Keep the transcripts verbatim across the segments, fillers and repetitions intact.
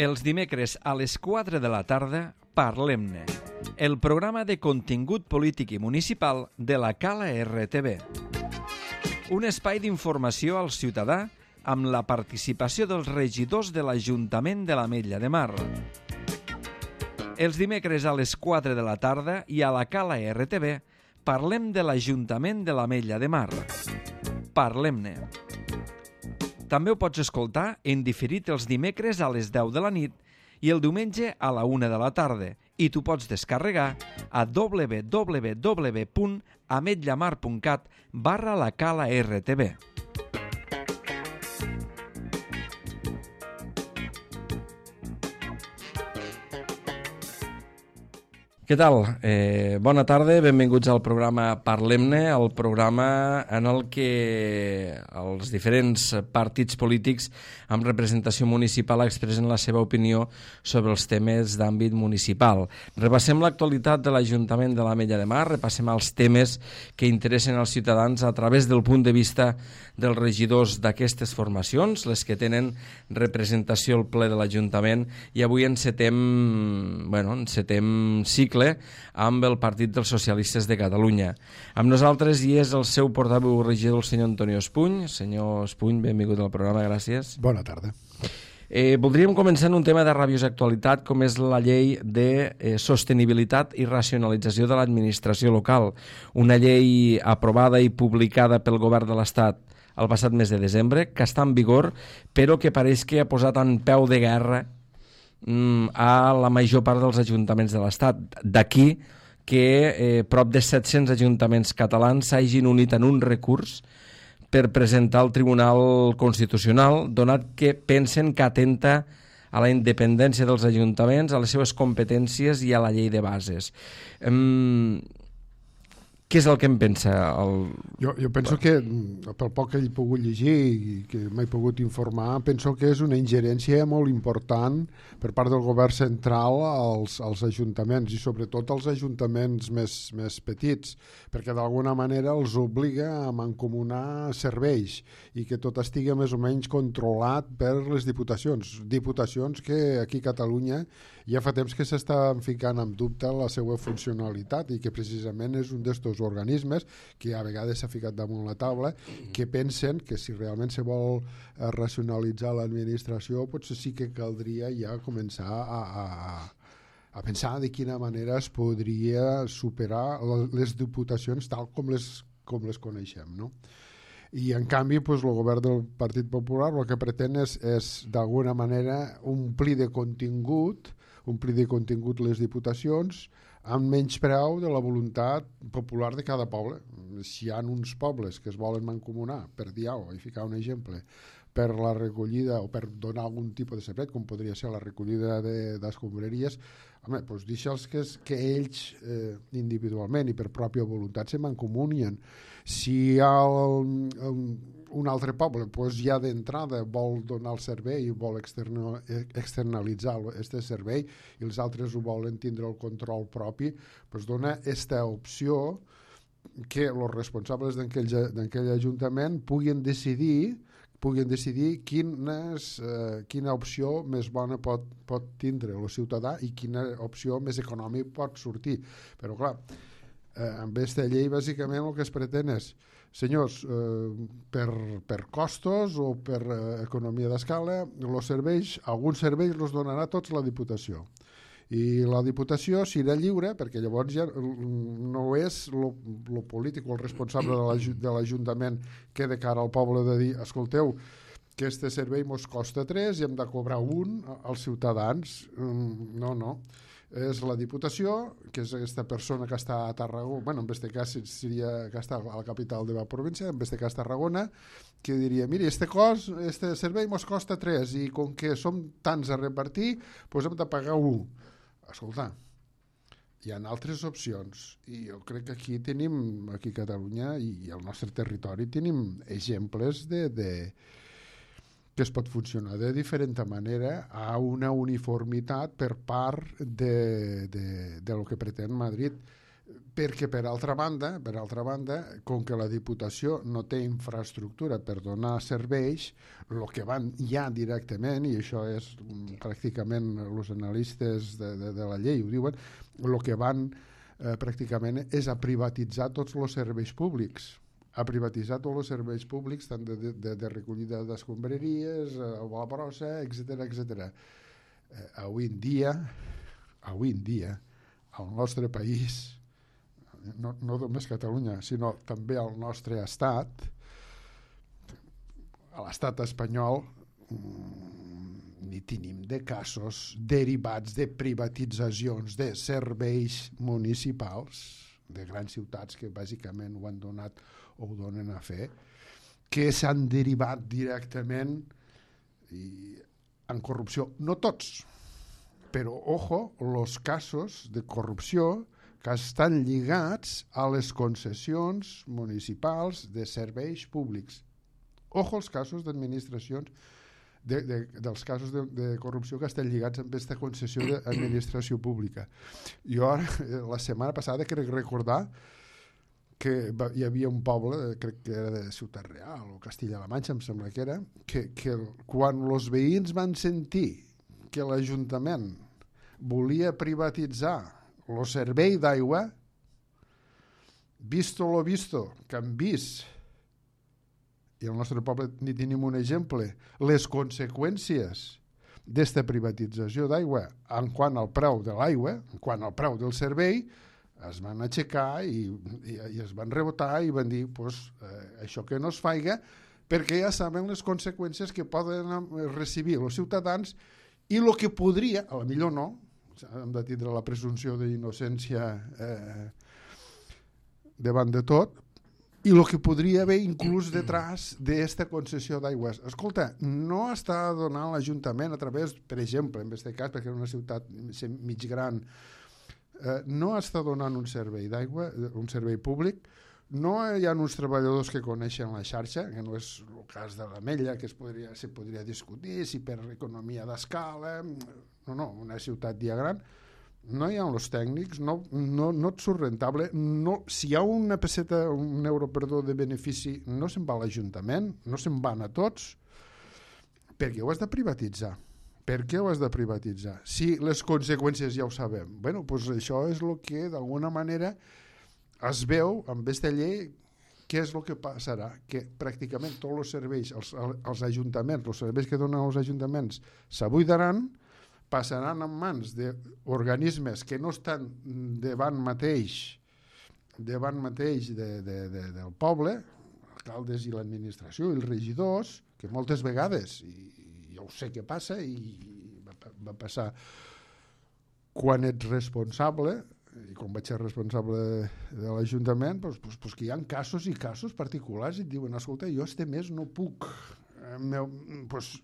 Els dimecres a les quatre de la tarda, Parlem-ne, el programa de contingut polític i municipal de la Cala R T V. Un espai d'informació al ciutadà amb la participació dels regidors de l'Ajuntament de l'Ametlla de Mar. Els dimecres a les quatre de la tarda i a la Cala R T V parlem de l'Ajuntament de l'Ametlla de Mar. Parlem-ne. També ho pots escoltar en diferit els dimecres a les deu de la nit i el diumenge a la una de la tarda i t'ho pots descarregar a w w w punt ametllamar punt cat barra la Cala R T V. Què tal? Eh, bona tarda, benvinguts al programa Parlem-ne, el programa en el que els diferents partits polítics amb representació municipal expressen la seva opinió sobre els temes d'àmbit municipal. Repassem l'actualitat de l'Ajuntament de l'Ametlla de Mar, repassem els temes que interessen als ciutadans a través del punt de vista dels regidors d'aquestes formacions, les que tenen representació al ple de l'Ajuntament, i avui encetem, bueno, encetem cicle amb el Partit dels Socialistes de Catalunya. Amb nosaltres hi és el seu portaveu regidor, el senyor Antonio Espuny. Senyor Espuny, benvingut al programa, gràcies. Bona tarda. Eh, voldríem començar en un tema de rabiosa actualitat, com és la llei de eh, sostenibilitat i racionalització de l'administració local, una llei aprovada i publicada pel govern de l'Estat el passat mes de desembre, que està en vigor, però que pareix que ha posat en peu de guerra a la major part dels ajuntaments de l'Estat. D'aquí que eh, prop de set-cents ajuntaments catalans s'hagin unit en un recurs per presentar al Tribunal Constitucional, donat que pensen que atenta a la independència dels ajuntaments, a les seves competències i a la llei de bases. Um, Què és el que em pensa? El... Jo, jo penso que, pel poc que he pogut llegir i que m'he pogut informar, penso que és una ingerència molt important per part del govern central als, als ajuntaments, i sobretot als ajuntaments més, més petits, perquè d'alguna manera els obliga a mancomunar serveis i que tot estigui més o menys controlat per les diputacions. Diputacions que aquí a Catalunya ja fa temps que s'estan ficant en dubte la seva funcionalitat i que precisament és un d'estos organismes que a vegades s'ha ficat damunt la taula, que pensen que si realment se vol racionalitzar l'administració, potser sí que caldria ja començar a, a, a pensar de quina manera es podria superar les diputacions tal com les, com les coneixem, no? I en canvi pues, el govern del Partit Popular el que pretén és, és d'alguna manera omplir de contingut omplir de contingut les diputacions amb menyspreu de la voluntat popular de cada poble. Si hi ha uns pobles que es volen mancomunar, per dir alguna cosa, i ficar un exemple, per la recollida o per donar algun tipus de servei, com podria ser la recollida d'escombraries, home, doncs deixa'ls que, que ells eh, individualment i per pròpia voluntat se mancomunien. Si hi ha un, un, un altre poble doncs ja d'entrada vol donar el servei i vol externo, externalitzar aquest servei i els altres ho volen tindre el control propi, doncs dona aquesta opció que els responsables d'aquell ajuntament puguin decidir puguin decidir quines, eh, quina opció més bona pot, pot tindre el ciutadà i quina opció més econòmica pot sortir. Però clar, eh, amb aquesta llei bàsicament el que es pretén és, senyors, eh, per, per costos o per eh, economia d'escala, els serveis, alguns serveis els donarà tots la Diputació. I la Diputació serà lliure, perquè llavors ja no és el polític o el responsable de l'Ajuntament que de cara al poble de dir, escolteu, que este servei mos costa tres i hem de cobrar un als ciutadans. No, no. És la Diputació, que és aquesta persona que està a Tarragona, bueno, en aquest cas seria que està a la capital de la província, en aquest cas Tarragona, que diria, miri, este, cost, este servei mos costa tres i com que som tants a repartir, doncs hem de pagar un. Escolta, hi ha altres opcions i jo crec que aquí tenim, aquí a Catalunya i al nostre territori tenim exemples de, de que es pot funcionar de diferent manera a una uniformitat per part de, de, de lo que pretén Madrid. perquè per altra banda, per altra banda, com que la Diputació no té infraestructura per donar serveis, el que van ja directament, i això és pràcticament els analistes de, de, de la llei ho diuen, el que van eh, pràcticament és a privatitzar tots els serveis públics, a privatitzar tots els serveis públics, tant de, de, de recollida d'escombraries, a la brossa, etcètera, etcètera. Eh, avui en dia, avui en dia, al nostre país, no, no només Catalunya, sinó també al nostre estat, a l'estat espanyol, ni tenim de casos derivats de privatitzacions de serveis municipals de grans ciutats que bàsicament ho han donat o ho donen a fer, que s'han derivat directament i, en corrupció. No tots, però, ojo, els casos de corrupció que estan lligats a les concessions municipals de serveis públics. Ojo els casos d'administracions, de, de, dels casos de, de corrupció que estan lligats amb aquesta concessió d'administració pública. Jo ara, la setmana passada, crec recordar que hi havia un poble, crec que era de Ciutat Real o Castilla-La Manxa, em sembla que era, que, que quan els veïns van sentir que l'Ajuntament volia privatitzar el servei d'aigua, visto lo visto, que han vist, i al nostre poble ni tenim un exemple, les conseqüències d'esta privatització d'aigua en quant al preu de l'aigua, en quant al preu del servei, es van aixecar i, i, i es van rebotar i van dir pues, eh, això que no es faiga, perquè ja saben les conseqüències que poden recibir els ciutadans i el que podria, a la millor no, hem de tindre la presumpció d'innocència eh, davant de tot, i el que podria haver inclús detrás d'esta concessió d'aigües. Escolta, no està donant l'Ajuntament a través, per exemple, en aquest cas, perquè és una ciutat mig gran, eh, no està donant un servei d'aigua, un servei públic, no hi ha uns treballadors que coneixen la xarxa, que no és el cas de l'Ametlla, que es podria, se podria discutir si per economia d'escala, no, no, una ciutat ja gran, no hi ha els tècnics, no, no, no et surt rentable, no, si hi ha una peseta, un euro, perdó, de benefici, no se'n va a l'Ajuntament, no se'n van a tots, perquè ho has de privatitzar. Per què ho has de privatitzar? Si les conseqüències ja ho sabem. Bueno, doncs això és el que d'alguna manera es veu amb aquesta llei. Què és el que passarà? Que pràcticament tots els serveis, els, els ajuntaments, els serveis que donen els ajuntaments s'abuidaran, passaran en mans d'organismes que no estan davant mateix davant mateix de, de, de, del poble, alcaldes i l'administració i els regidors, que moltes vegades, i jo sé què passa, i va, va passar quan ets responsable, i quan vaig ser responsable de, de l'Ajuntament, doncs, doncs, doncs que hi ha casos i casos particulars i et diuen, escolta, jo este mes no puc, eh, meu, doncs,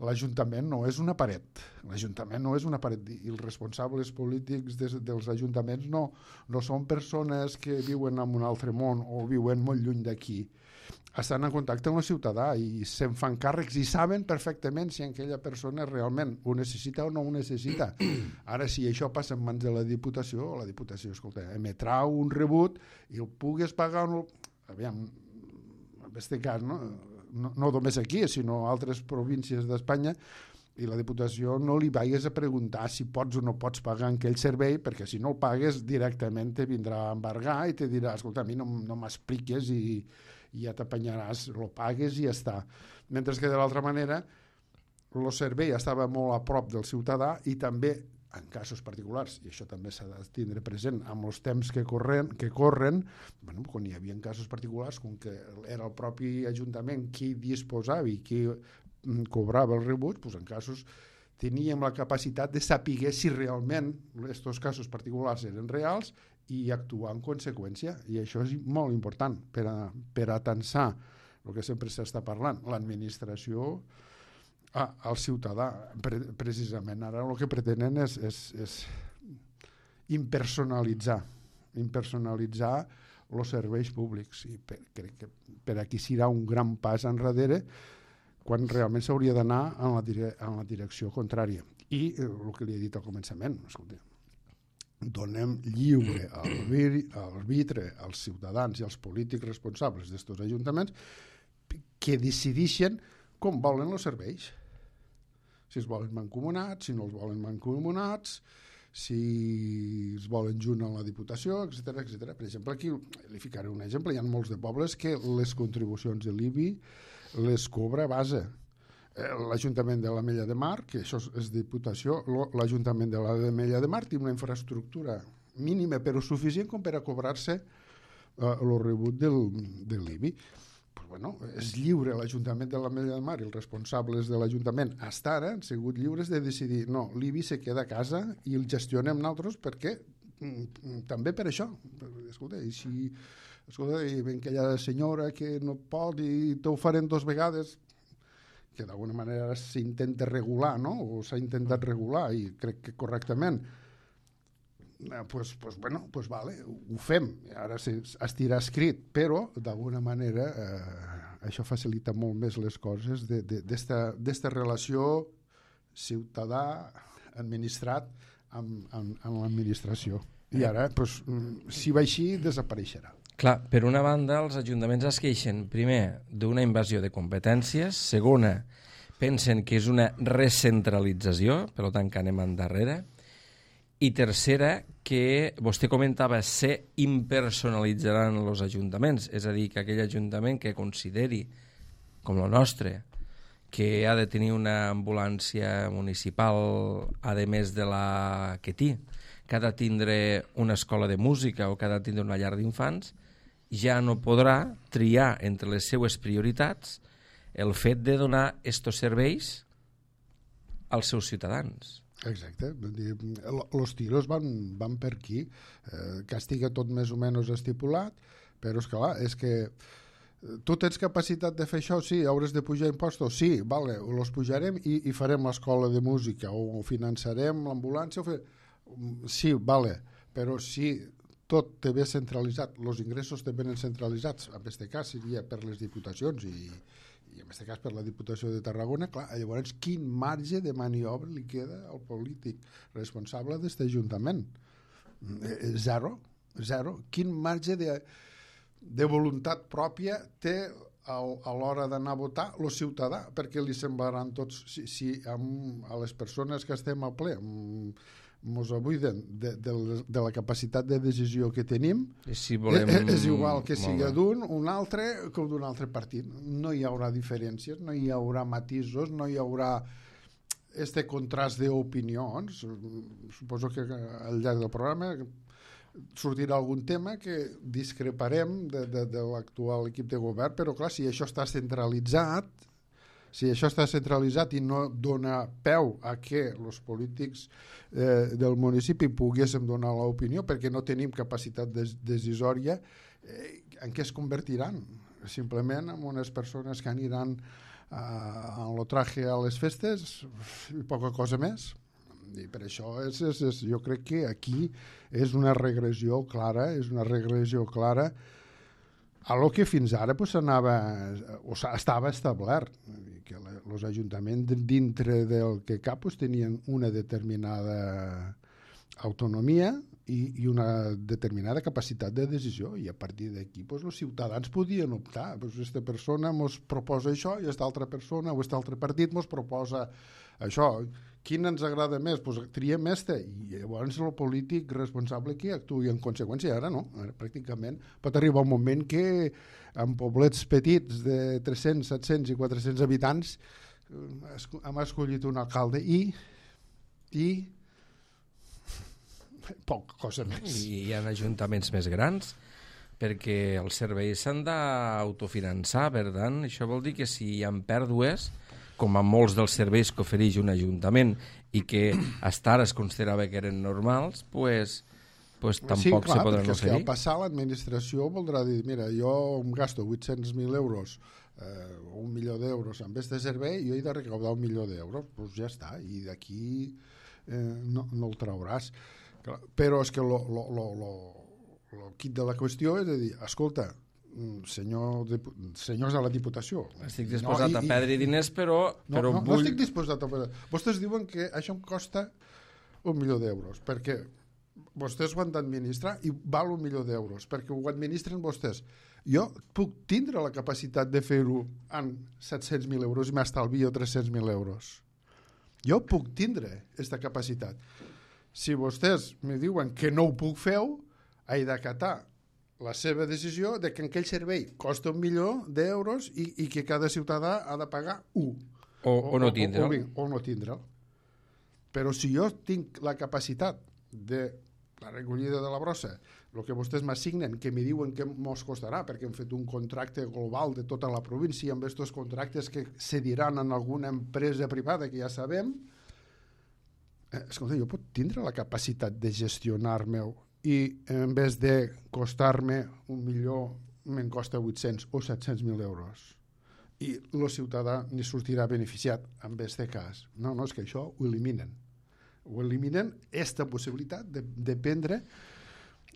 l'Ajuntament no és una paret, l'Ajuntament no és una paret, i els responsables polítics des, dels ajuntaments no, no són persones que viuen en un altre món o viuen molt lluny d'aquí, estan en contacte amb el ciutadà i se'n fan càrrecs i saben perfectament si aquella persona realment ho necessita o no ho necessita. Ara, si això passa en mans de la Diputació, la Diputació, escolta, emetrà un rebut i el pugues pagar o no... Aviam, en aquest cas, no? No, no només aquí, sinó a altres províncies d'Espanya, i la Diputació no li vagis a preguntar si pots o no pots pagar aquell servei, perquè si no el pagues directament te vindrà a embargar i te dirà, escolta, a mi no, no m'expliques i, i ja t'apanyaràs, lo pagues i ja està. Mentre que de l'altra manera el servei estava molt a prop del ciutadà i també en casos particulars, i això també s'ha de tindre present amb els temps que corren, que corren bueno, quan hi havia casos particulars, com que era el propi Ajuntament qui disposava i qui cobrava els rebuts, doncs en casos teníem la capacitat de saber si realment aquests casos particulars eren reals i actuar en conseqüència, i això és molt important per a, per a tensar el que sempre s'està parlant, l'administració Ah, al ciutadà, pre precisament. Ara el que pretenen és, és, és impersonalitzar, impersonalitzar els serveis públics. I per, crec que per aquí serà un gran pas enrere quan realment s'hauria d'anar en, la dire en la direcció contrària. I eh, el que li he dit al començament, escolta, donem lliure arbitre als ciutadans i als polítics responsables d'estos ajuntaments que decidixen com volen els serveis. Si els volen mancomunats, si no els volen mancomunats, si els volen junt a la Diputació, etcètera, etcètera. Per exemple, aquí li ficaré un exemple. Hi ha molts de pobles que les contribucions de l'I B I les cobra a base. L'Ajuntament de l'Ametlla de Mar, que això és Diputació, l'Ajuntament de l'Ametlla de Mar té una infraestructura mínima però suficient com per a cobrar-se el rebut del, de l'I B I. Pues bueno, és lliure l'Ajuntament de l'Ametlla de Mar i els responsables de l'Ajuntament hasta ara han sigut lliures de decidir no, l'I B I se queda a casa i el gestionem nosaltres perquè també per això. Escolta, i si escolta, i ben aquella senyora que no pot i t'ho farem dos vegades, que d'alguna manera s'intenta regular, no? O s'ha intentat regular i crec que correctament, eh, pues, pues, bueno, pues vale, ho fem, ara estirà escrit, però d'alguna manera eh, això facilita molt més les coses d'esta relació ciutadà-administrat amb, amb, amb l'administració. I ara, pues, si va així, desapareixerà. Clar, per una banda, els ajuntaments es queixen, primer, d'una invasió de competències, segona, pensen que és una recentralització, per tant que anem endarrere, i tercera, que vostè comentava, se impersonalitzaran els ajuntaments, és a dir, que aquell ajuntament que consideri, com el nostre, que ha de tenir una ambulància municipal, a més de la que té, que ha de tindre una escola de música o que ha de tindre una llar d'infants, ja no podrà triar entre les seues prioritats el fet de donar estos serveis als seus ciutadans. Exacte. Els tiros van, van per aquí. Eh, que estigui tot més o menys estipulat, però és que, clar, és que tu tens capacitat de fer això? Sí. Hauràs de pujar impostos? Sí. Vale, els pujarem i, i farem l'escola de música o finançarem l'ambulància. O fer... Sí, vale, però si tot té bé centralitzat, els ingressos té ben centralitzats, en aquest cas seria per les diputacions i, i en aquest cas per la Diputació de Tarragona, clar, llavors quin marge de maniobra li queda al polític responsable d'aquest ajuntament? Zero, zero. Quin marge de, de voluntat pròpia té al, a l'hora d'anar a votar el ciutadà? Perquè li semblaran tots, si, si amb, a les persones que estem al ple, amb, ens abuiden de, de, de la capacitat de decisió que tenim, si volem... és, és igual que sigui d'un, un altre, que d'un altre partit. No hi haurà diferències, no hi haurà matisos, no hi haurà este contrast d'opinions. Suposo que al llarg del programa sortirà algun tema que discreparem de, de, de l'actual equip de govern, però clar, si això està centralitzat, si això està centralitzat i no dona peu a que els polítics eh, del municipi poguéssim donar l'opinió perquè no tenim capacitat des decisòria, eh, en què es convertiran? Simplement en unes persones que aniran eh, en lo traje a les festes i poca cosa més. I per això és, és, és, jo crec que aquí és una regressió clara, és una regressió clara a lo que fins ara pues, anava, o estava establert, que els ajuntaments dintre del que cap pues, tenien una determinada autonomia i, i una determinada capacitat de decisió, i a partir d'aquí pues, els ciutadans podien optar. Pues, aquesta persona ens proposa això i aquesta altra persona o aquest altre partit ens proposa això. Quin ens agrada més? Pues, triem este, i llavors el polític responsable que actuï en conseqüència. Ara no, ara pràcticament pot arribar un moment que en poblets petits de tres-cents, set-cents i quatre-cents habitants hem escollit un alcalde i i poca cosa més. I hi ha ajuntaments més grans perquè els serveis s'han d'autofinançar, per tant, això vol dir que si hi ha pèrdues, com a molts dels serveis que ofereix un ajuntament i que hasta ara es considerava que eren normals, pues, pues tampoc sí, clar, se podran oferir. Sí, al passar l'administració voldrà dir, mira, jo em gasto vuit-cents mil euros eh, un milió d'euros amb aquest servei, jo he de recaudar un milió d'euros, doncs ja està, i d'aquí eh, no, no el trauràs. Però és que lo, lo, lo, lo, lo quid de la qüestió és de dir, escolta, senyor, senyors de la Diputació, estic disposat no, i, a perdre diners, però, no, però no, vull... no estic disposat a perdre. Vostès diuen que això em costa un milió d'euros, perquè vostès ho han d'administrar i val un milió d'euros, perquè ho administren vostès. Jo puc tindre la capacitat de fer-ho en set-cents mil euros i m'estalvio tres-cents mil euros. Jo puc tindre aquesta capacitat. Si vostès me diuen que no ho puc fer, he d'acatar la seva decisió de que aquell servei costa un milió d'euros i, i que cada ciutadà ha de pagar un. O, o, o no tindre'l. O, o, o no tindre'l. Però si jo tinc la capacitat de la recollida de la brossa, el que vostès m'assignen, que me diuen que mos costarà, perquè hem fet un contracte global de tota la província amb aquests contractes que cediran en alguna empresa privada que ja sabem, eh, escolta, jo puc tindre la capacitat de gestionar-me i en vez de costar-me un milió me'n costa vuit-cents o set-cents mil euros i el ciutadà ni sortirà beneficiat en aquest cas. No, no, és que això ho eliminen. Ho eliminen aquesta possibilitat de, de prendre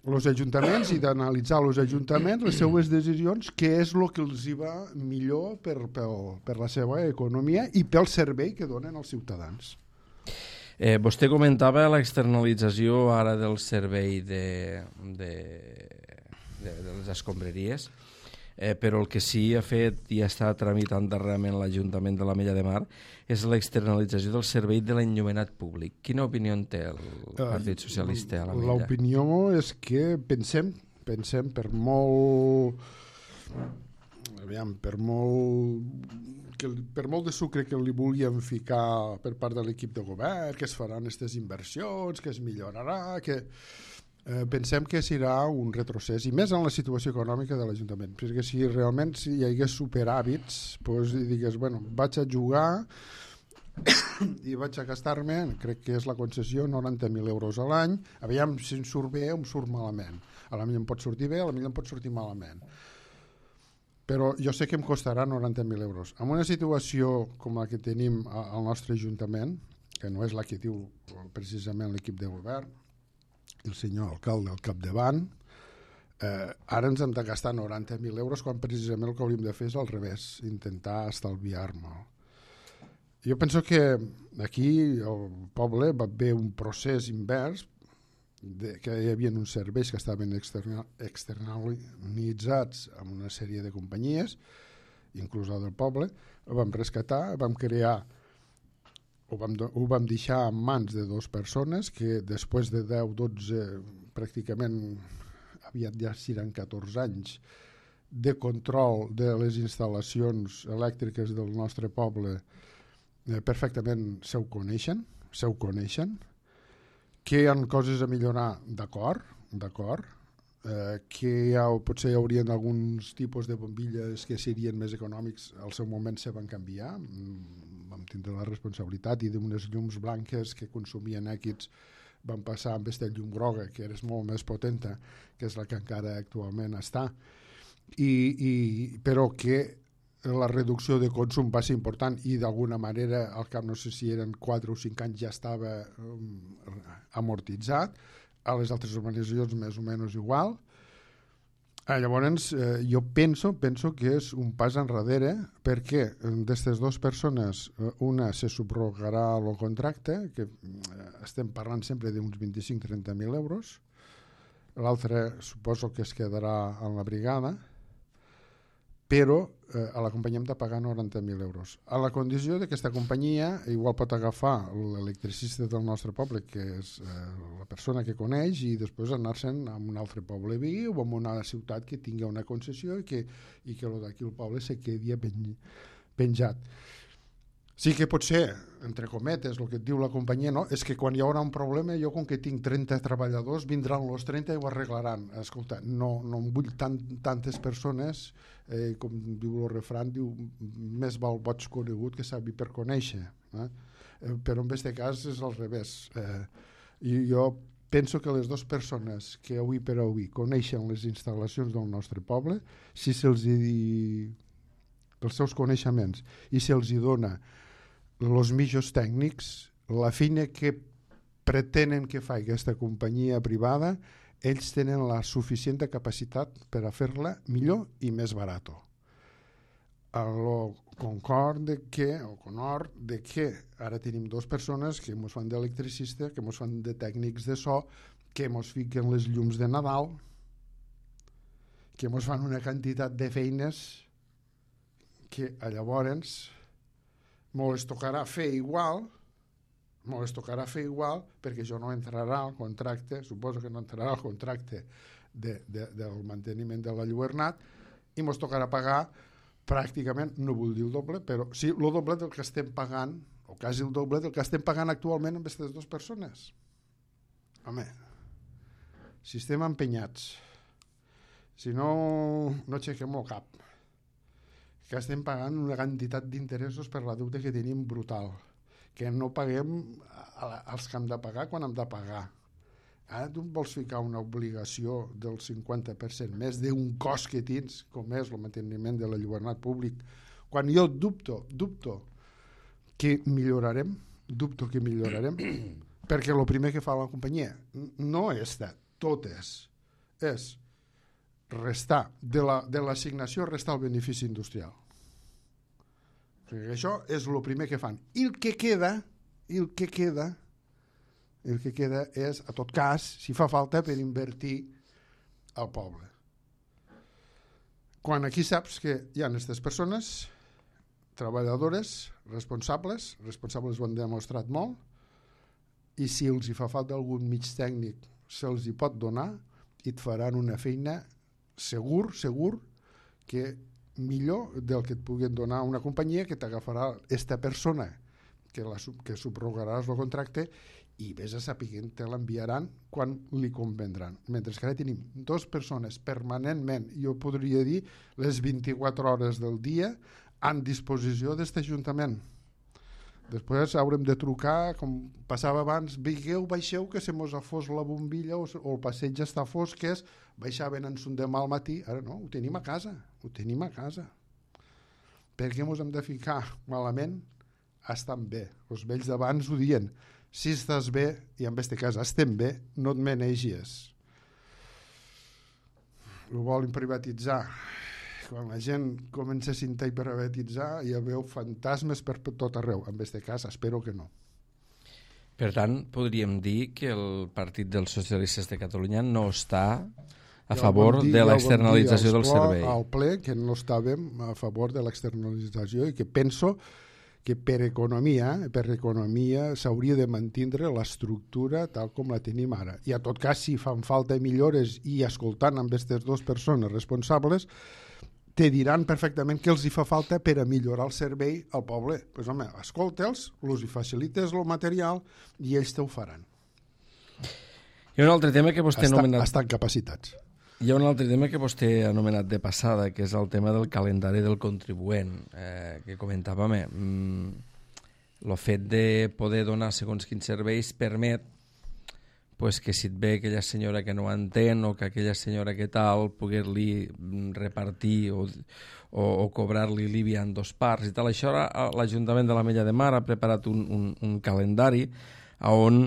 els ajuntaments i d'analitzar els ajuntaments les seues decisions, què és el que els hi va millor per, per, per la seva economia i pel servei que donen als ciutadans. Eh, vostè comentava l'externalització ara del servei de, de, de, de les escombraries, eh, però el que sí ha fet i està tramitant darrerament l'Ajuntament de l'Ametlla de Mar és l'externalització del servei de l'enllumenat públic. Quina opinió en té el Partit Socialista a l'Ametlla? L'opinió és que pensem, pensem per molt... Aviam, per molt... Que, per molt de sucre que li volien ficar per part de l'equip de govern, que es faran aquestes inversions, que es millorarà, que eh, pensem que serà un retrocés, i més en la situació econòmica de l'Ajuntament, perquè si realment si hi hagués superàvits, doncs digues, bueno, vaig a jugar i vaig a gastar-me, crec que és la concessió, noranta mil euros a l'any, aviam si em surt bé o em surt malament. A la millor em pot sortir bé, a la millor em pot sortir malament. Però jo sé que em costarà noranta mil euros. En una situació com la que tenim al nostre Ajuntament, que no és la que diu precisament l'equip de govern, el senyor alcalde al capdavant, eh, ara ens hem de gastar noranta mil euros quan precisament el que hauríem de fer és al revés, intentar estalviar-me'l. Jo penso que aquí al poble va haver un procés invers, de, que hi havia uns serveis que estaven externa, externalitzats amb una sèrie de companyies, inclús la del poble, ho vam rescatar, vam crear, ho vam, ho vam deixar en mans de dues persones que després de deu dotze, pràcticament aviat ja seran catorze anys, de control de les instal·lacions elèctriques del nostre poble, eh, perfectament se ho coneixen, se ho coneixen, que hi ha coses a millorar, d'acord, d'acord, eh, que ja, potser hi haurien alguns tipus de bombilles que serien més econòmics, al seu moment se van canviar, vam tindre la responsabilitat, i d'unes llums blanques que consumien èquids van passar amb aquesta llum groga, que és molt més potenta, que és la que encara actualment està, I, i, però que la reducció de consum va ser important i d'alguna manera al cap no sé si eren quatre o cinc anys ja estava um, amortitzat, a les altres organitzacions més o menys igual. Eh, llavors eh, jo penso, penso que és un pas enrere perquè d'aquestes dues persones una se subrogarà el contracte, que eh, estem parlant sempre d'uns vint-i-cinc a trenta mil euros, l'altre suposo que es quedarà en la brigada, però eh, a la companyia hem de pagar noranta mil euros. A la condició de que aquesta companyia igual pot agafar l'electricista del nostre poble, que és eh, la persona que coneix, i després anar-se'n a un altre poble veí o a una ciutat que tingui una concessió i que, i que d'aquí el poble se quedi pen, penjat. Sí que pot ser, entre cometes, el que et diu la companyia, no? És que quan hi haurà un problema, jo com que tinc trenta treballadors, vindran els trenta i ho arreglaran. Escolta, no, no em vull tant, tantes persones, eh, com diu el refrany, diu, més val boig conegut que savi per conèixer. Eh? Eh, però en aquest cas és al revés. Eh, I jo penso que les dues persones que avui per avui coneixen les instal·lacions del nostre poble, si se'ls hi... els seus coneixements i se'ls hi dona els millors tècnics, la feina que pretenen que faci aquesta companyia privada, ells tenen la suficient capacitat per a fer-la millor i més barat. El concord de que, o conord de que ara tenim dues persones que ens fan d'electricista, que ens fan de tècnics de so, que mos fiquen les llums de Nadal, que mos fan una quantitat de feines que llavors mos tocarà fer igual, mos tocarà fer igual perquè això no entrarà al contracte, suposo que no entrarà al contracte de, de, del manteniment de la lluernat, i mos tocarà pagar pràcticament, no vull dir el doble, però sí el doble del que estem pagant, o quasi el doble del que estem pagant actualment amb aquestes dues persones. Home, si estem empenyats, si no, no aixequem el cap, que estem pagant una quantitat d'interessos per la deute que tenim brutal, que no paguem als que hem de pagar quan hem de pagar. Ara tu em vols ficar una obligació del cinquanta per cent més d'un cost que tens, com és el manteniment de la lluernat públic, quan jo dubto, dubto que millorarem, dubto que millorarem, perquè el primer que fa la companyia no és de totes, és restar de la, de l'assignació restar el benefici industrial. Perquè això és el primer que fan. I el que queda, i el que queda, el que queda és, a tot cas, si fa falta, per invertir al poble. Quan aquí saps que hi ha aquestes persones, treballadores, responsables, responsables ho han demostrat molt, i si els hi fa falta algun mig tècnic, se'ls hi pot donar i et faran una feina segur, segur, que millor del que et puguin donar una companyia que t'agafarà esta persona que, la, que subrogaràs el contracte i vés a saber que te l'enviaran quan li convendran. Mentre que ara tenim dues persones permanentment, jo podria dir les vint-i-quatre hores del dia, en disposició d'aquest ajuntament. Després haurem de trucar, com passava abans, vigueu, baixeu, que se mos ha fos la bombilla o, o el passeig està fosc, que és baixaven en son demà al matí. Ara no, ho tenim a casa, ho tenim a casa. Per què mos hem de ficar malament? Estan bé. Els vells d'abans ho diuen. Si estàs bé, i en aquest cas estem bé, no et menegis. Ho volen privatitzar. Quan la gent comença a cintar i privatitzar, hi veu fantasmes per tot arreu. En aquest cas, espero que no. Per tant, podríem dir que el Partit dels Socialistes de Catalunya no està a favor de l'externalització del servei. Al ple que no estàvem a favor de l'externalització i que penso que per economia, per economia s'hauria de mantindre l'estructura tal com la tenim ara. I a tot cas, si fan falta millores i escoltant amb aquestes dues persones responsables, te diran perfectament què els hi fa falta per a millorar el servei al poble. Doncs pues, home, escolta'ls, els hi facilites el material i ells t'ho faran. Hi ha un altre tema que vostè ha anomenat... Estan capacitats. Hi ha un altre tema que vostè ha anomenat de passada, que és el tema del calendari del contribuent, eh, que comentàvem. Eh? Mm, el fet de poder donar segons quins serveis permet pues, que si et ve aquella senyora que no entén o que aquella senyora que tal, poder-li repartir o, o, o cobrar-li l'I B I en dos parts i tal. Això l'Ajuntament de l'Ametlla de Mar ha preparat un, un, un calendari on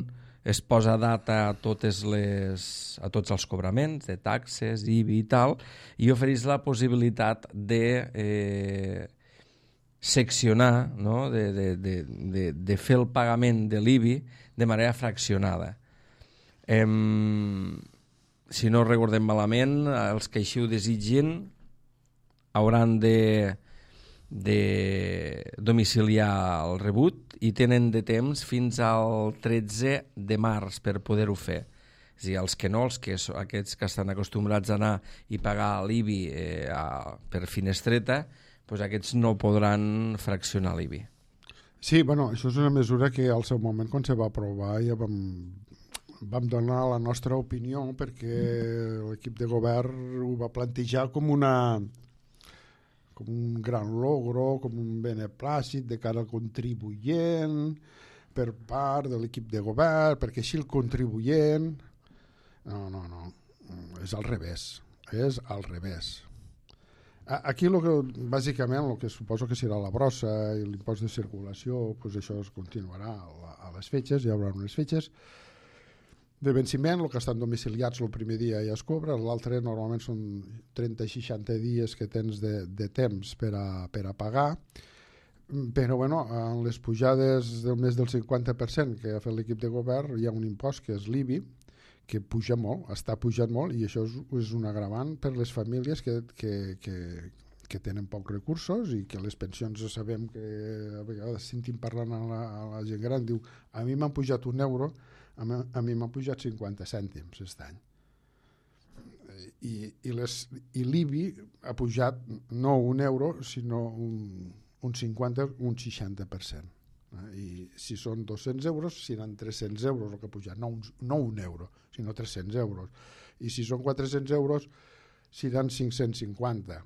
es posa data a, totes les, a tots els cobraments de taxes, I B I i tal, i ofereix la possibilitat de eh, seccionar, no? de, de, de, de, de fer el pagament de l'I B I de manera fraccionada. Em, si no recordem malament, els que així ho desitgin hauran de, de domiciliar el rebut i tenen de temps fins al tretze de març per poder-ho fer. És a dir, els que no, els que, aquests que estan acostumbrats a anar i pagar l'I B I eh, a, per finestreta, doncs aquests no podran fraccionar l'I B I. Sí, bueno, això és una mesura que al seu moment, quan se va aprovar, ja vam, vam donar la nostra opinió perquè l'equip de govern ho va plantejar com una... com un gran logro, com un beneplàcit de cara al contribuent, per part de l'equip de govern, perquè així el contribuent... No, no, no, és al revés, és al revés. Aquí, lo que, bàsicament, el que suposo que serà la brossa i l'impost de circulació, pues això es continuarà a les fetges, hi haurà unes fetges de venciment, el que estan domiciliats el primer dia ja es cobra, l'altre normalment són trenta a seixanta dies que tens de, de temps per a, per a pagar, però bueno, en les pujades del més del cinquanta per cent que ha fet l'equip de govern hi ha un impost que és l'I B I, que puja molt, està pujant molt, i això és, és un agravant per les famílies que, que, que, que tenen pocs recursos i que les pensions sabem que a vegades sentim parlant a la, a la gent gran, diu, a mi m'han pujat un euro, a mi, a mi m'han pujat cinquanta cèntims aquest any. I, i, les, i l'I B I ha pujat no un euro, sinó un, un cinquanta, un seixanta per cent. I si són dos-cents euros seran tres-cents euros el que ha pujat, no un, no un euro sinó tres-cents euros, i si són quatre-cents euros seran cinc-cents cinquanta.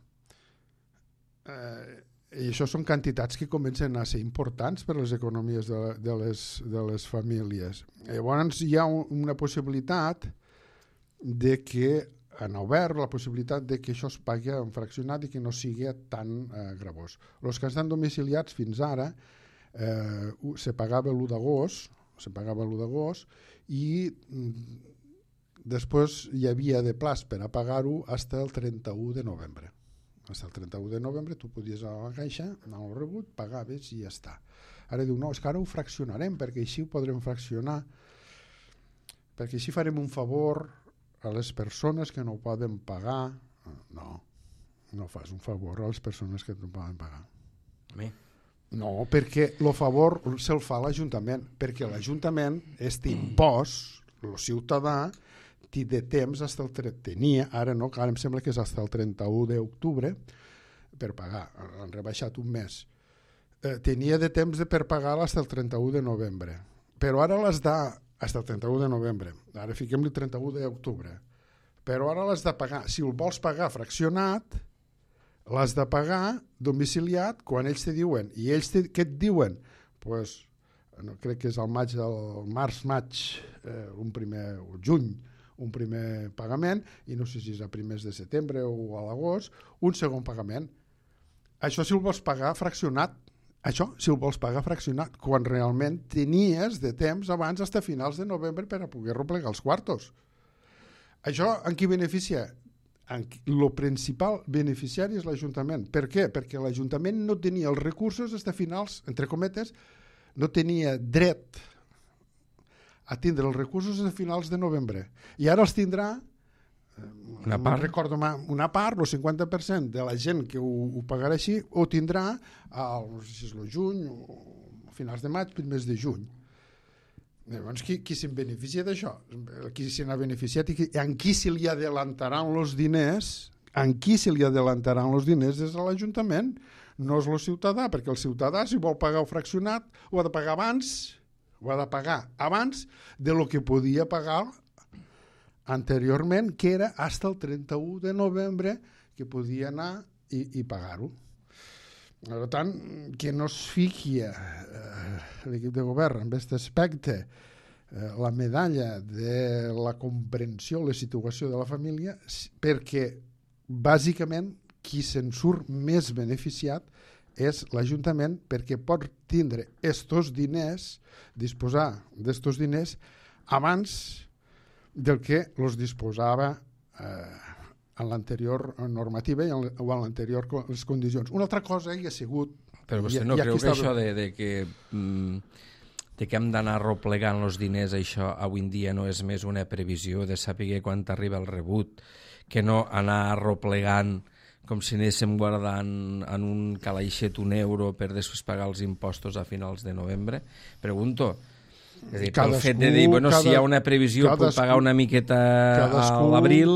Eh, i això són quantitats que comencen a ser importants per a les economies de, de, les, de les famílies. Llavors hi ha un, una possibilitat de que han obert la possibilitat de que això es pagui en fraccionat i que no sigui tan eh, gravós. Els que estan domiciliats fins ara Eh, se pagava l'u d'agost, se pagava l'u d'agost i mm, després hi havia de plaç per a pagar-ho fins el trenta-u de novembre. Fins el trenta-u de novembre tu podies anar a la caixa, anar al rebut, pagaves i ja està. Ara diu, no, és que ara ho fraccionarem perquè així ho podrem fraccionar, perquè així farem un favor a les persones que no ho poden pagar. No, no fas un favor a les persones que no poden pagar. A mi? No, perquè el favor se'l fa l'Ajuntament, perquè l'Ajuntament, este impost, el ciutadà, té de temps, hasta el, tenia, ara no, ara em sembla que és fins el trenta-u d'octubre, per pagar, han rebaixat un mes. Eh, tenia de temps de per pagar fins el trenta-u de novembre, però ara les da, fins el trenta-u de novembre, ara fiquem-li el trenta-u d'octubre, però ara les de pagar, si el vols pagar fraccionat, l'has de pagar domiciliat quan ells te diuen, i ells te, què et diuen? Pues, no, crec que és el maig del març-maig, eh, un primer, o juny, un primer pagament, i no sé si és a primers de setembre o a l'agost, un segon pagament. Això si el vols pagar fraccionat, això si el vols pagar fraccionat, quan realment tenies de temps abans fins a finals de novembre per a poder replegar els quartos. Això en qui beneficia? El principal beneficiari és l'Ajuntament. Per què? Perquè l'Ajuntament no tenia els recursos fins a finals, entre cometes, no tenia dret a tindre els recursos fins a finals de novembre. I ara els tindrà, una part, recordo, una part, el cinquanta per cent de la gent que ho, ho pagarà així, ho tindrà al, no sé si és el juny, o a finals de maig, primers de juny. Llavors, qui, qui se'n beneficia d'això? Qui se n'ha beneficiat i qui, en qui se li adelantaran els diners, en qui se li adelantaran els diners és a l'Ajuntament, no és el ciutadà, perquè el ciutadà, si vol pagar el fraccionat, ho ha de pagar abans, ho ha de pagar abans de lo que podia pagar anteriorment, que era fins el trenta-u de novembre que podia anar i, i pagar-ho. Per tant, que no es fiqui eh, l'equip de govern en aquest aspecte eh, la medalla de la comprensió, la situació de la família, perquè bàsicament qui se'n surt més beneficiat és l'Ajuntament, perquè pot tindre estos diners, disposar d'estos diners abans del que els disposava eh, en l'anterior normativa i en, o en l'anterior les condicions. Una altra cosa hi ha sigut... Però vostè no creu que està... això de, de, que, de que hem d'anar replegant els diners, això avui en dia no és més una previsió de saber quan t'arriba el rebut, que no anar replegant com si anéssim guardant en un calaixet un euro per després pagar els impostos a finals de novembre? Pregunto... És a dir, pel fet de dir, bueno, cada, si hi ha una previsió cadascú, puc pagar una miqueta cadascú, a l'abril,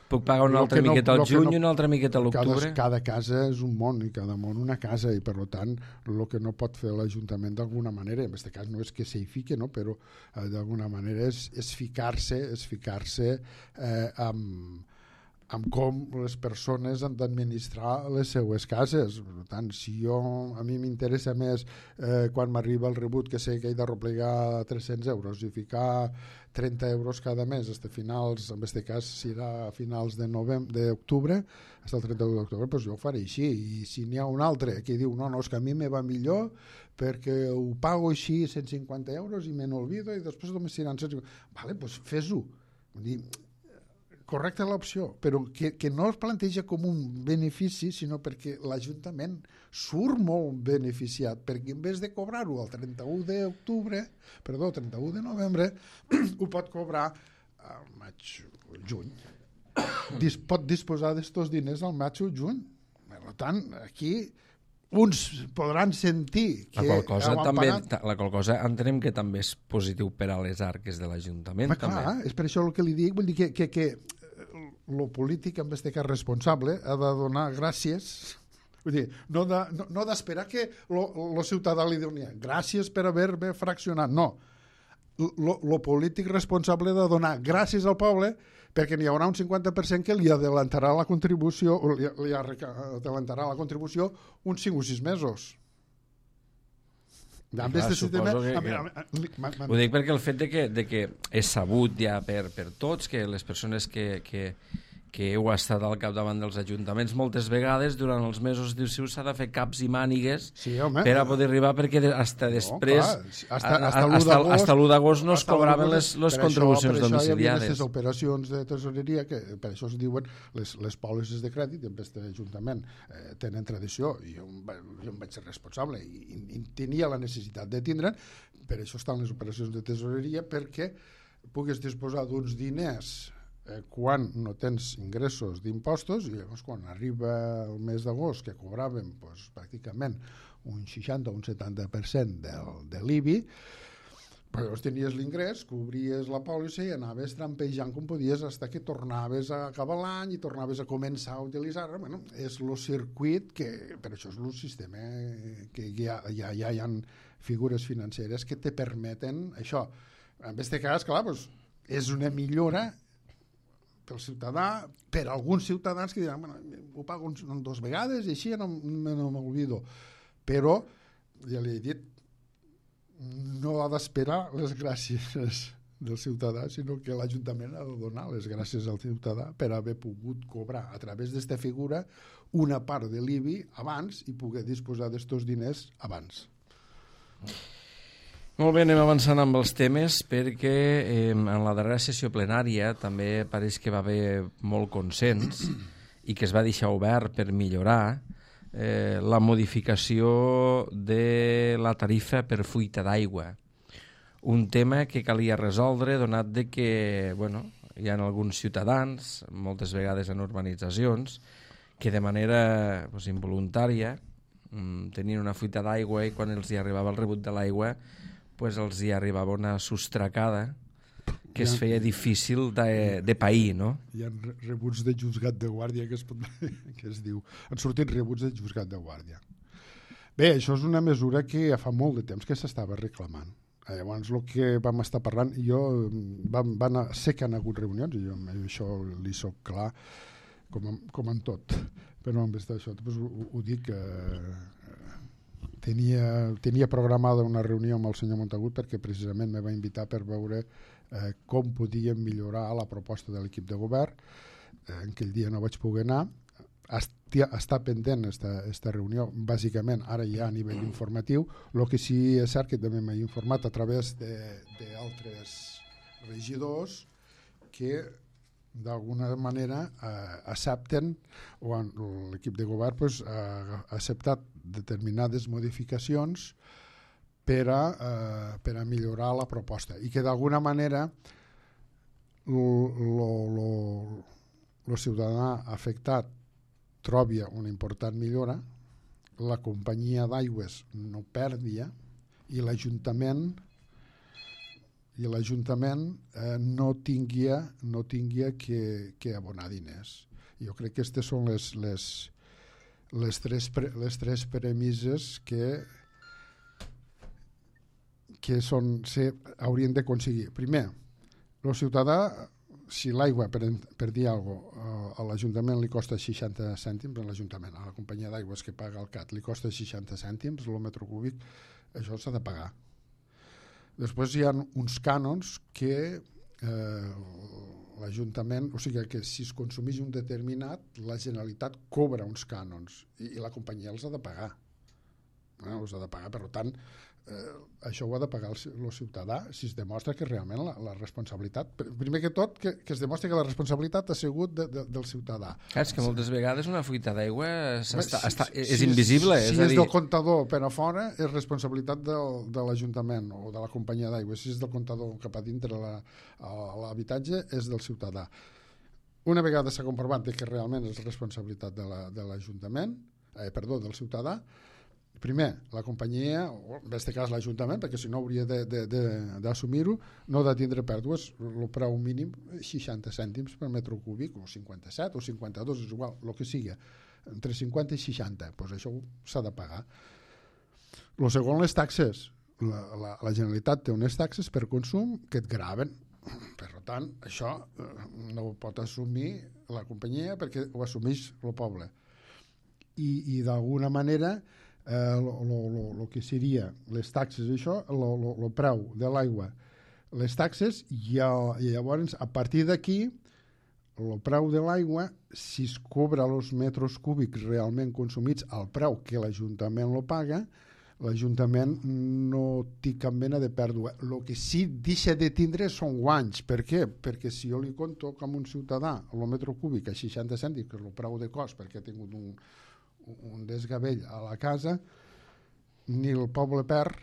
puc pagar una altra no, miqueta al juny no, i una altra miqueta a l'octubre. Cada, cada casa és un món i cada món una casa, i per tant el que no pot fer l'Ajuntament d'alguna manera, en aquest cas no és que s'hi fique, no? Però eh, d'alguna manera és, és ficar-se és ficar-se eh, amb amb com les persones han d'administrar les seues cases. Per tant, si jo, a mi m'interessa més eh, quan m'arriba el rebut que sé que he de replegar tres-cents euros i ficar trenta euros cada mes fins a finals, en aquest cas serà a finals de novembre, d'octubre, fins al trenta-u d'octubre, doncs jo ho faré així. I si n'hi ha un altre que diu no, no, és que a mi me va millor perquè ho pago així cent cinquanta euros i me n'olvido i després només seran cent cinquanta. Vale, doncs fes-ho. Vull dir, correcta l'opció, però que, que no es planteja com un benefici, sinó perquè l'Ajuntament surt molt beneficiat, perquè en vez de cobrar-ho el trenta-u d'octubre, perdó, trenta-u de novembre, ho pot cobrar al maig o juny. Dis, pot disposar d'estos diners al maig o juny. Per tant, aquí uns podran sentir que la qual cosa, també, pagat... la qual cosa entenem que també és positiu per a les arques de l'Ajuntament. Clar, també. És per això el que li dic, vull dir que, que, que lo polític, en este cas responsable, ha de donar gràcies, vull dir, no d'esperar de, no, no que lo, lo ciutadà li doni gràcies per haver-me fraccionat, no. Lo, lo polític responsable de donar gràcies al poble perquè n'hi haurà un cinquanta per cent que li adelantarà la contribució, li, li adelantarà la contribució uns cinc o sis mesos. Clar, sistema... que, que... Ho dic perquè el fet de que, de que és sabut ja per, per tots que les persones que, que, que heu estat al capdavant dels ajuntaments moltes vegades durant els mesos d'estiu s'ha de fer caps i mànigues sí, home, per a poder arribar perquè hasta després no, hasta l'u d'agost no es cobraven les, les contribucions això, domiciliades. Per això hi havia aquestes operacions de tesoreria que per això es diuen les, les pòlisses de crèdit en aquest ajuntament eh, tenen tradició i jo, jo em vaig ser responsable i, i, i tenia la necessitat de tindre, per això estan les operacions de tesoreria perquè puguis disposar d'uns diners quan no tens ingressos d'impostos i llavors quan arriba el mes d'agost que cobràvem pues, pràcticament un seixanta o un setanta per cent del, de l'I B I, però llavors tenies l'ingrés, cobries la pòlissa i anaves trampejant com podies fins que tornaves a acabar l'any i tornaves a començar a utilitzar-la. Bueno, és el circuit que, per això és el sistema que ja, ja, ja hi ha figures financeres que te permeten això. En aquest cas, clar, pues, és una millora pel ciutadà, per alguns ciutadans que diran, bueno, ho pago en dues vegades i així no, no m'oblido. Però, ja li he dit, no ha d'esperar les gràcies del ciutadà, sinó que l'Ajuntament ha de donar les gràcies al ciutadà per haver pogut cobrar a través d'esta figura una part de l'I B I abans i poder disposar d'estos diners abans. Molt bé, anem avançant amb els temes perquè eh, en la darrera sessió plenària també pareix que va haver molt consens i que es va deixar obert per millorar eh, la modificació de la tarifa per fuita d'aigua. Un tema que calia resoldre donat de que bueno, hi ha alguns ciutadans, moltes vegades en urbanitzacions, que de manera pues, involuntària mm, tenien una fuita d'aigua i quan els hi arribava el rebut de l'aigua pues els hi arribava una sostracada que es feia difícil de, de pair, no? Hi ha rebuts de juzgat de guàrdia que es, pot, que es diu. Han sortit rebuts de juzgat de guàrdia. Bé, això és una mesura que ja fa molt de temps que s'estava reclamant. Llavors, el que vam estar parlant, jo vam, van a, sé que han hagut reunions, i jo això li soc clar, com, com en tot, però en vez d'això doncs, ho, ho dic que Tenia, tenia programada una reunió amb el senyor Montagut perquè precisament me va invitar per veure eh, com podíem millorar la proposta de l'equip de govern. Eh, en aquell dia no vaig poder anar. Estia, està pendent esta, esta reunió, bàsicament ara ja a nivell informatiu. El que sí és cert que també m'he informat a través d'altres regidors que d'alguna manera eh, accepten o l'equip de govern pues, ha acceptat determinades modificacions per a, eh, per a millorar la proposta i que d'alguna manera el ciutadà afectat trobi una important millora, la companyia d'aigües no perdia i l'Ajuntament i l'Ajuntament eh, no tinguia, no tinguia que, que abonar diners. Jo crec que aquestes són les, les, les, tres, pre, les tres premisses que, que són, se, haurien d'aconseguir. Primer, el ciutadà, si l'aigua, per, per dir alguna cosa, a l'Ajuntament li costa seixanta cèntims, a l'Ajuntament, a la companyia d'aigües que paga el C A T li costa seixanta cèntims, el metre cúbic, això s'ha de pagar. Després hi ha uns cànons que eh, l'Ajuntament, o sigui que si es consumeix un determinat, la Generalitat cobra uns cànons i, i la companyia els ha de pagar. eh, els ha de pagar. Per tant, eh, això ho ha de pagar el, el ciutadà si es demostra que realment la, la responsabilitat, primer que tot, que, que es demostri que la responsabilitat ha sigut de, de, del ciutadà. Clar, és que moltes vegades una fuita d'aigua si, és si, invisible. Si, és, si és a dir... del comptador per a fora, és responsabilitat del, de l'Ajuntament o de la companyia d'aigua. Si és del comptador cap a dintre la, l'habitatge, és del ciutadà. Una vegada s'ha comprovat que realment és responsabilitat de l'Ajuntament, eh, perdó, del ciutadà, primer, la companyia, o en aquest cas l'Ajuntament, perquè si no hauria d'assumir-ho, no ha de tindre pèrdues, el preu mínim seixanta cèntims per metre cúbic, o cinquanta-set o cinquanta-dos, és igual, el que sigui, entre cinquanta i seixanta, doncs això s'ha de pagar. El segon, les taxes. La, la, la Generalitat té unes taxes per consum que et graven. Per tant, això no ho pot assumir la companyia perquè ho assumeix el poble. I, i d'alguna manera el que seria les taxes, això, el preu de l'aigua, les taxes, i, i llavors a partir d'aquí el preu de l'aigua, si es cobra els metres cúbics realment consumits al preu que l'Ajuntament lo paga, l'Ajuntament no té cap mena de pèrdua. El que sí deixa de tindre són guanys. Per què? Perquè si jo li conto com un ciutadà el metre cúbic a seixanta cèntims, que és el preu de cost perquè ha tingut un, un desgavell a la casa, ni el poble perd,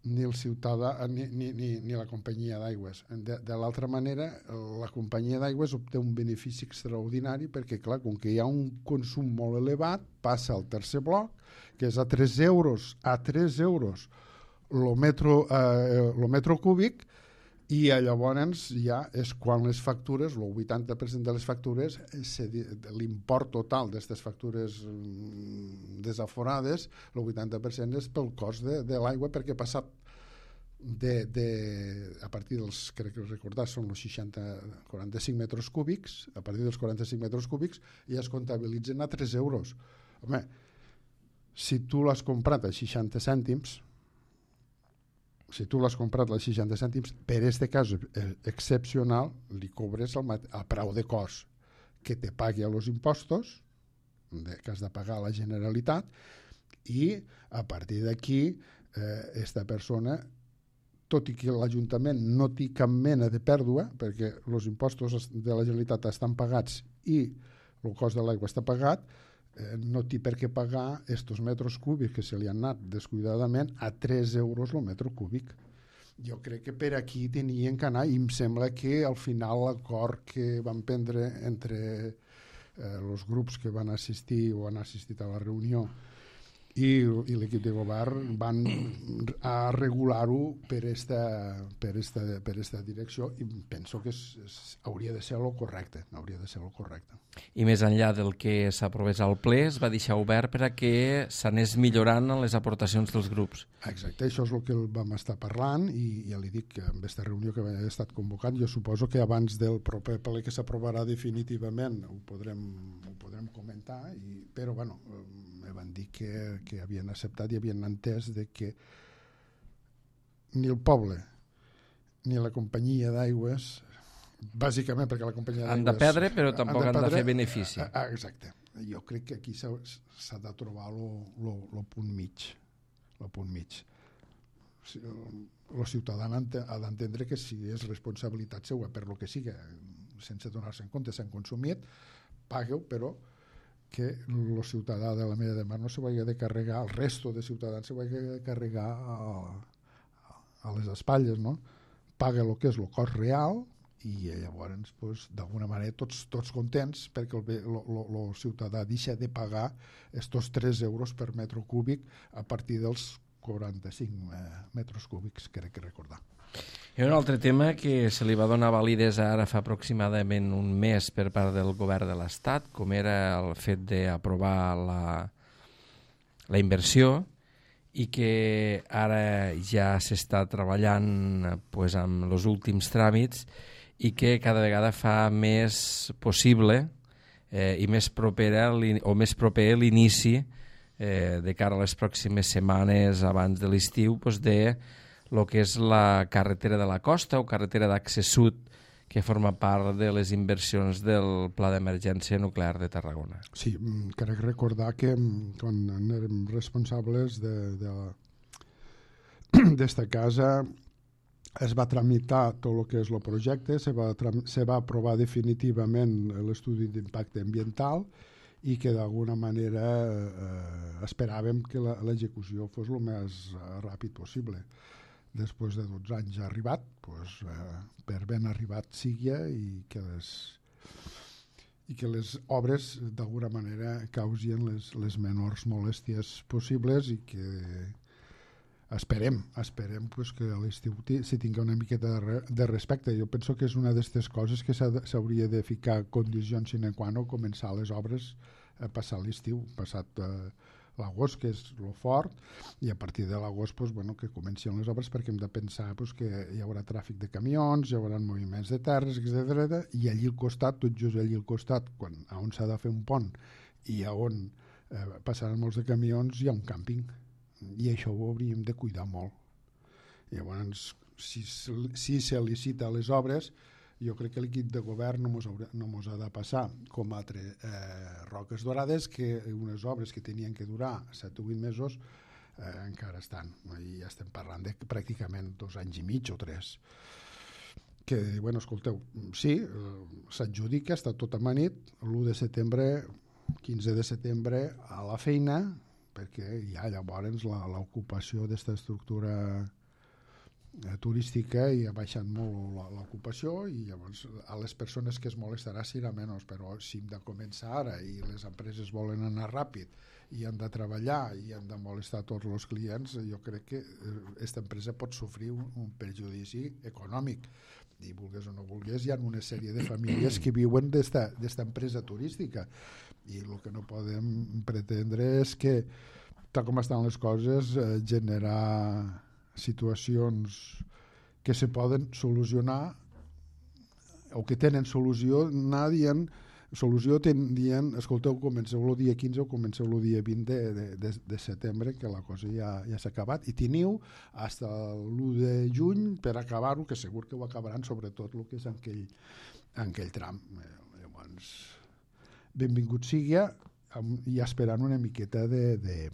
ni el ciutadà, ni, ni, ni, ni la companyia d'aigües. De, de l'altra manera, la companyia d'aigües obté un benefici extraordinari perquè, clar, com que hi ha un consum molt elevat, passa al tercer bloc, que és a tres euros, a tres euros el metro, eh, el metro cúbic, i llavors ja és quan les factures, el vuitanta per cent de les factures, l'import total d'aquestes factures desaforades, el vuitanta per cent és pel cost de, de l'aigua, perquè ha passat de, de, a partir dels, crec que recordar, són els seixanta, quaranta-cinc metres cúbics, a partir dels quaranta-cinc metres cúbics ja es comptabilitzen a tres euros. Home, si tu l'has comprat a seixanta cèntims, si tu l'has comprat a seixanta cèntims, per este cas excepcional, li cobres el, el preu de cost que te pagui a los impostos, que has de pagar a la Generalitat, i a partir d'aquí, eh, esta persona, tot i que l'Ajuntament no té cap mena de pèrdua, perquè els impostos de la Generalitat estan pagats i el cost de l'aigua està pagat, eh, no té per què pagar estos metres cúbics que se li han anat descuidadament a tres euros el metre cúbic. Jo crec que per aquí tenien que anar, i em sembla que al final l'acord que van prendre entre els eh, grups que van assistir o han assistit a la reunió i, i l'equip de govern van a regular-ho per esta, per, esta, per esta direcció, i penso que és, és, hauria de ser el correcte, hauria de ser el correcte. I més enllà del que s'aprovés al ple, es va deixar obert per a que s'anés millorant en les aportacions dels grups. Exacte, això és el que vam estar parlant, i ja li dic que en aquesta reunió que ha estat convocat, jo suposo que abans del proper ple que s'aprovarà definitivament ho podrem, ho podrem comentar, i, però bueno, me van dir que, que havien acceptat i havien entès de que ni el poble ni la companyia d'aigües, bàsicament perquè la companyia d'aigües... Han de perdre, però tampoc han de, han de fer benefici. Exacte. Jo crec que aquí s'ha de trobar el punt mig. El punt mig. El ciutadà ha d'entendre que si és responsabilitat seva per lo que siga, sense donar-se en compte, s'han consumit, pagueu, però que el ciutadà de la Mella de Mar no se vagi de carregar, el resto de ciutadans se vagi de carregar a, a les espatlles, no? Paga el que és el cost real, i llavors, pues, d'alguna manera, tots, tots contents, perquè el, el, el ciutadà deixa de pagar estos tres euros per metre cúbic a partir dels quaranta-cinc metres cúbics, crec que recordar. Hi ha un altre tema que se li va donar validesa ara fa aproximadament un mes per part del govern de l'Estat, com era el fet d'aprovar la, la inversió, i que ara ja s'està treballant pues, amb els últims tràmits, i que cada vegada fa més possible eh, i més propera o més proper l'inici eh, de cara a les pròximes setmanes abans de l'estiu, pues, de el que és la carretera de la costa o carretera d'accés sud, que forma part de les inversions del Pla d'Emergència Nuclear de Tarragona. Sí, crec recordar que quan érem responsables de, de d'esta casa es va tramitar tot el que és el projecte, se va, se va aprovar definitivament l'estudi d'impacte ambiental i que d'alguna manera eh, esperàvem que l'execució fos el més ràpid possible. Després de dotze anys ha arribat, doncs, eh, per ben arribat sigui i que les, i que les obres d'alguna manera causien les, les menors molèsties possibles i que esperem, esperem pues, que a l'estiu s'hi tingui una miqueta de, de respecte. Jo penso que és una d'aquestes coses que s'hauria de ficar condicions sine qua non, començar les obres a passar l'estiu, passat eh, l'agost, que és el fort, i a partir de l'agost pues, bueno, que comencin les obres, perquè hem de pensar pues, que hi haurà tràfic de camions, hi haurà moviments de terres, etcètera. I allí al costat, tot just allí al costat, quan, on s'ha de fer un pont i on eh, passaran molts de camions, hi ha un càmping. I això ho hauríem de cuidar molt. Llavors, si, si se licita les obres, jo crec que l'equip de govern no mos, haurà, no mos ha de passar com altres eh, Roques Dorades, que unes obres que tenien que durar set o vuit mesos eh, encara estan. I ja estem parlant de pràcticament dos anys i mig o tres. Que, bueno, escolteu, sí, eh, s'adjudica, està tot amanit, l'u de setembre, quinze de setembre, a la feina, perquè ja llavors l'ocupació d'esta estructura eh, turística i ha baixat molt l'ocupació i llavors a les persones que es molestarà serà menys, però si hem de començar ara i les empreses volen anar ràpid i han de treballar i han de molestar tots els clients, jo crec que aquesta empresa pot sofrir un, un perjudici econòmic. I vulgues o no vulgues, hi ha una sèrie de famílies que viuen d'esta empresa turística i el que no podem pretendre és que, tal com estan les coses, eh, generar situacions que se poden solucionar o que tenen solució, anar dient solució dient, escolteu, comenceu el dia quinze o comenceu el dia vint de, de, de, de setembre, que la cosa ja, ja s'ha acabat, i teniu fins l'u de juny per acabar-ho, que segur que ho acabaran, sobretot el que és en aquell, en aquell tram. Llavors, benvingut sigui, i esperant una miqueta de, de,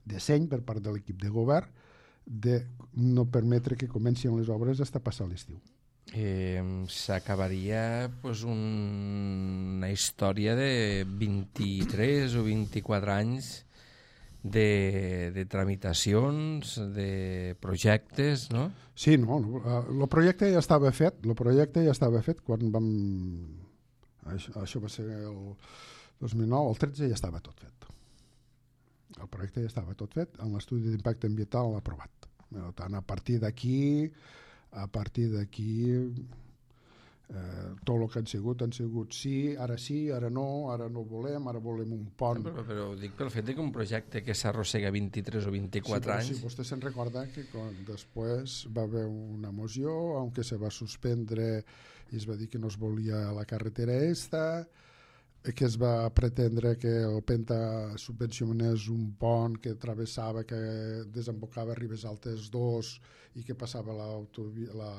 de seny per part de l'equip de govern de no permetre que comencin les obres fins passar l'estiu. Eh, s'acabaria pues, un, una història de vint-i-tres o vint-i-quatre anys de, de tramitacions, de projectes, no? Sí, no, el projecte ja estava fet, el projecte ja estava fet quan vam... Això, això va ser el dos mil nou, el tretze ja estava tot fet. El projecte ja estava tot fet, en l'estudi d'impacte ambiental aprovat. Per tant, a partir d'aquí... a partir d'aquí eh, tot el que han sigut han sigut sí, ara sí, ara no, ara no volem, ara volem un pont. Però, però ho dic pel fet que un projecte que s'arrossega vint-i-tres o vint-i-quatre sí, anys... Sí, vostè se'n recorda que quan després va haver una moció on se va suspendre i es va dir que no es volia la carretera esta, que es va pretendre que el Penta subvencionés un pont que travessava, que desembocava a Ribes Altes dos i que passava la, la,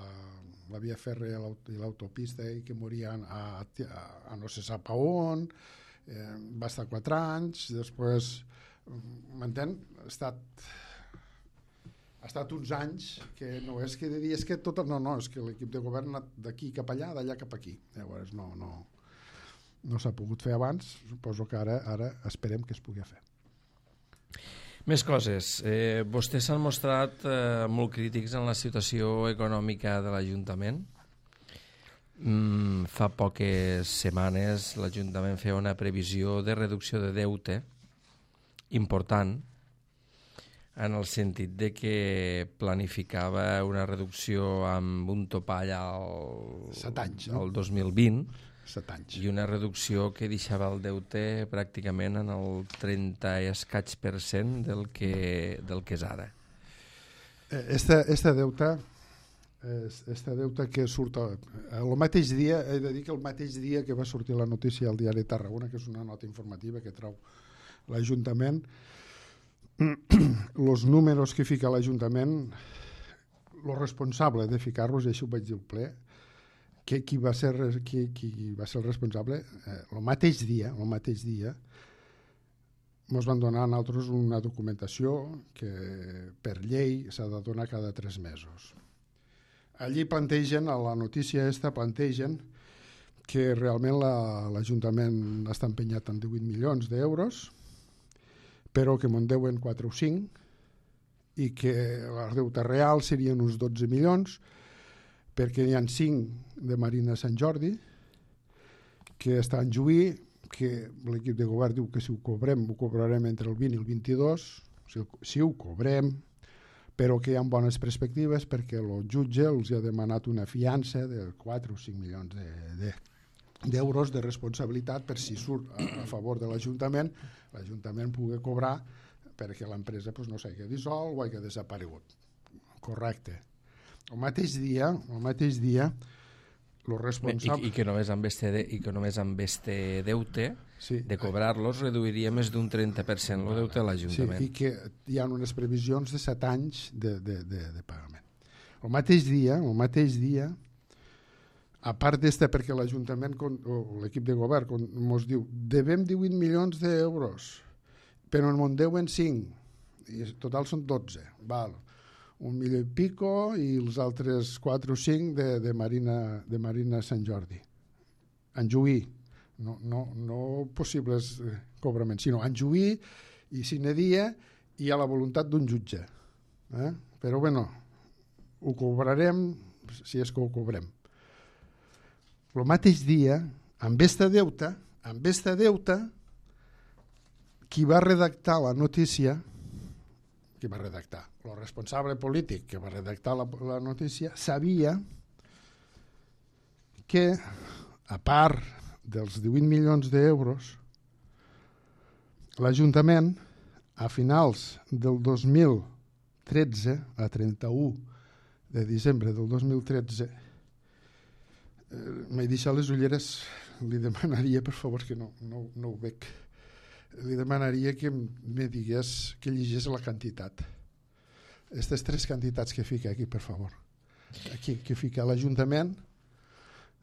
la via fèrrea i l'autopista i que morien a, a, a no se sap on, eh, va estar quatre anys, després, m'entén? Ha estat, ha estat uns anys que no és que diries que tot... No, no, és que l'equip de govern ha anat d'aquí cap allà, d'allà cap aquí. Llavors, no, no... no s'ha pogut fer abans, suposo que ara, ara esperem que es pugui fer. Més coses. Eh, vostès s'han mostrat eh, molt crítics en la situació econòmica de l'Ajuntament. Mm, fa poques setmanes l'Ajuntament feia una previsió de reducció de deute important, en el sentit de que planificava una reducció amb un topall al, Set anys, no? al dos mil vint, Set anys. i una reducció que deixava el deute pràcticament en el trenta i escaig per cent del que, del que és ara. Este, este deute este deute que surt el mateix dia, he de dir que el mateix dia que va sortir la notícia al diari Tarragona, que és una nota informativa que trau l'Ajuntament, els números que fica l'Ajuntament, el responsable de ficar-los, i això ho vaig dir al ple, qui, qui, va ser, qui, qui va ser el responsable? Eh, el mateix dia, el mateix dia, ens van donar a nosaltres una documentació que per llei s'ha de donar cada tres mesos. Allí plantegen, a la notícia esta, plantegen que realment la, l'Ajuntament està empenyat en divuit milions d'euros, però que me'n deuen quatre o cinc, i que el deute real serien uns dotze milions, perquè hi ha cinc de Marina Sant Jordi, que està en Juí, que l'equip de govern diu que si ho cobrem, ho cobrarem entre el vint i el vint-i-dos, si, si ho cobrem, però que hi ha bones perspectives perquè el jutge els ha demanat una fiança de quatre o cinc milions de, de, d'euros de responsabilitat per si surt a, a favor de l'Ajuntament, l'Ajuntament pugui cobrar perquè l'empresa pues, no s'hagi dissolt o hagi desaparegut. Correcte. El mateix dia, el mateix dia, lo responsable... I, i, que només amb este, de, i que només amb este deute, sí, de cobrar-los, reduiria més d'un trenta per cent el deute de l'Ajuntament. Sí, i que hi ha unes previsions de set anys de, de, de, de pagament. El mateix dia, el mateix dia, a part d'esta, perquè l'Ajuntament o l'equip de govern ens diu devem divuit milions d'euros, però en deuen cinc, i en total són dotze, val. Un milió i pico i els altres quatre o cinc de, de, Marina, de Marina Sant Jordi. En Juí, no, no, no possibles cobraments, sinó en Juí i sine dia i a la voluntat d'un jutge. Eh? Però bueno, ho cobrarem si és que ho cobrem. El mateix dia, amb esta deuta, amb esta deuta, qui va redactar la notícia, qui va redactar, el responsable polític que va redactar la, la notícia, sabia que, a part dels divuit milions d'euros, l'Ajuntament, a finals del dos mil tretze, a trenta-u de desembre del dos mil tretze, eh, m'he deixat les ulleres, li demanaria, per favor, que no, no, no ho veig, li demanaria que me digués, que llegís la quantitat. Aquestes tres quantitats que fica aquí, per favor. Aquí, que fica l'Ajuntament,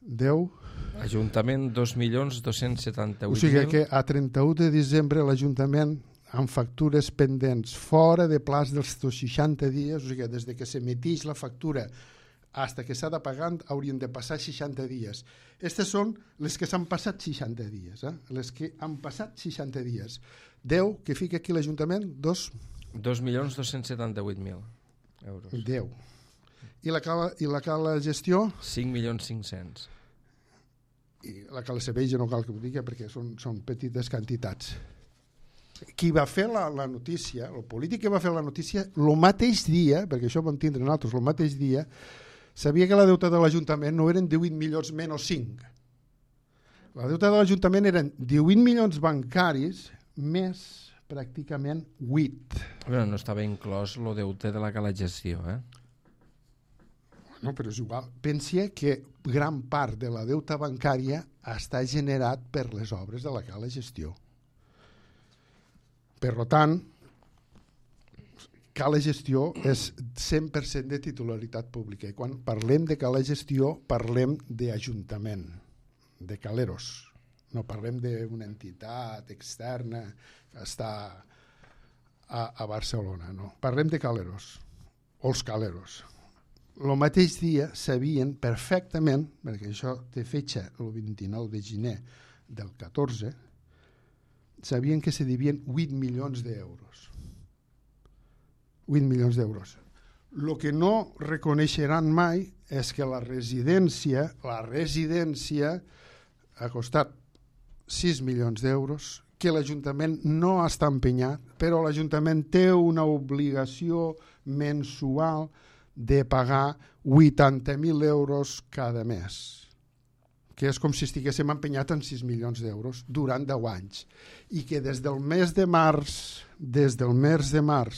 deu... Ajuntament, dos milions dos-cents setanta-vuit mil. O sigui que a trenta-u de desembre l'Ajuntament, amb factures pendents fora de plaç dels seixanta dies, o sigui, des de que s'emetix la factura fins que s'ha de pagar, haurien de passar seixanta dies. Aquestes són les que s'han passat seixanta dies, eh? Les que han passat seixanta dies. deu, que fica aquí l'Ajuntament, dos... dos milions dos-cents setanta-vuit mil euros. deu. I la cala, i la cala gestió? cinc milions cinc-cents. I la cala Sebella no cal que ho digui perquè són, són petites quantitats. Qui va fer la, la notícia, el polític que va fer la notícia, el mateix dia, perquè això ho vam tindre nosaltres, el mateix dia, sabia que la deuta de l'Ajuntament no eren divuit milions menys cinc. La deuta de l'Ajuntament eren divuit milions bancaris més pràcticament vuit. Bueno, no estava inclòs el deute de la cala gestió, eh? No, però és igual. Pensa que gran part de la deuta bancària està generat per les obres de la cala gestió. Per tant, cala gestió és cent per cent de titularitat pública. I quan parlem de cala gestió, parlem d'Ajuntament, de caleros. No parlem d'una entitat externa que està a, a Barcelona. No. Parlem de caleros, o els caleros. El mateix dia sabien perfectament, perquè això té fetge el vint-i-nou de gener del catorze, sabien que se devien vuit milions d'euros. vuit milions d'euros. El que no reconeixeran mai és que la residència, la residència ha costat sis milions d'euros, que l'Ajuntament no està empenyat, però l'Ajuntament té una obligació mensual de pagar vuitanta mil euros cada mes, que és com si estiguéssim empenyat en sis milions d'euros durant deu anys, i que des del mes de març, des del mes de març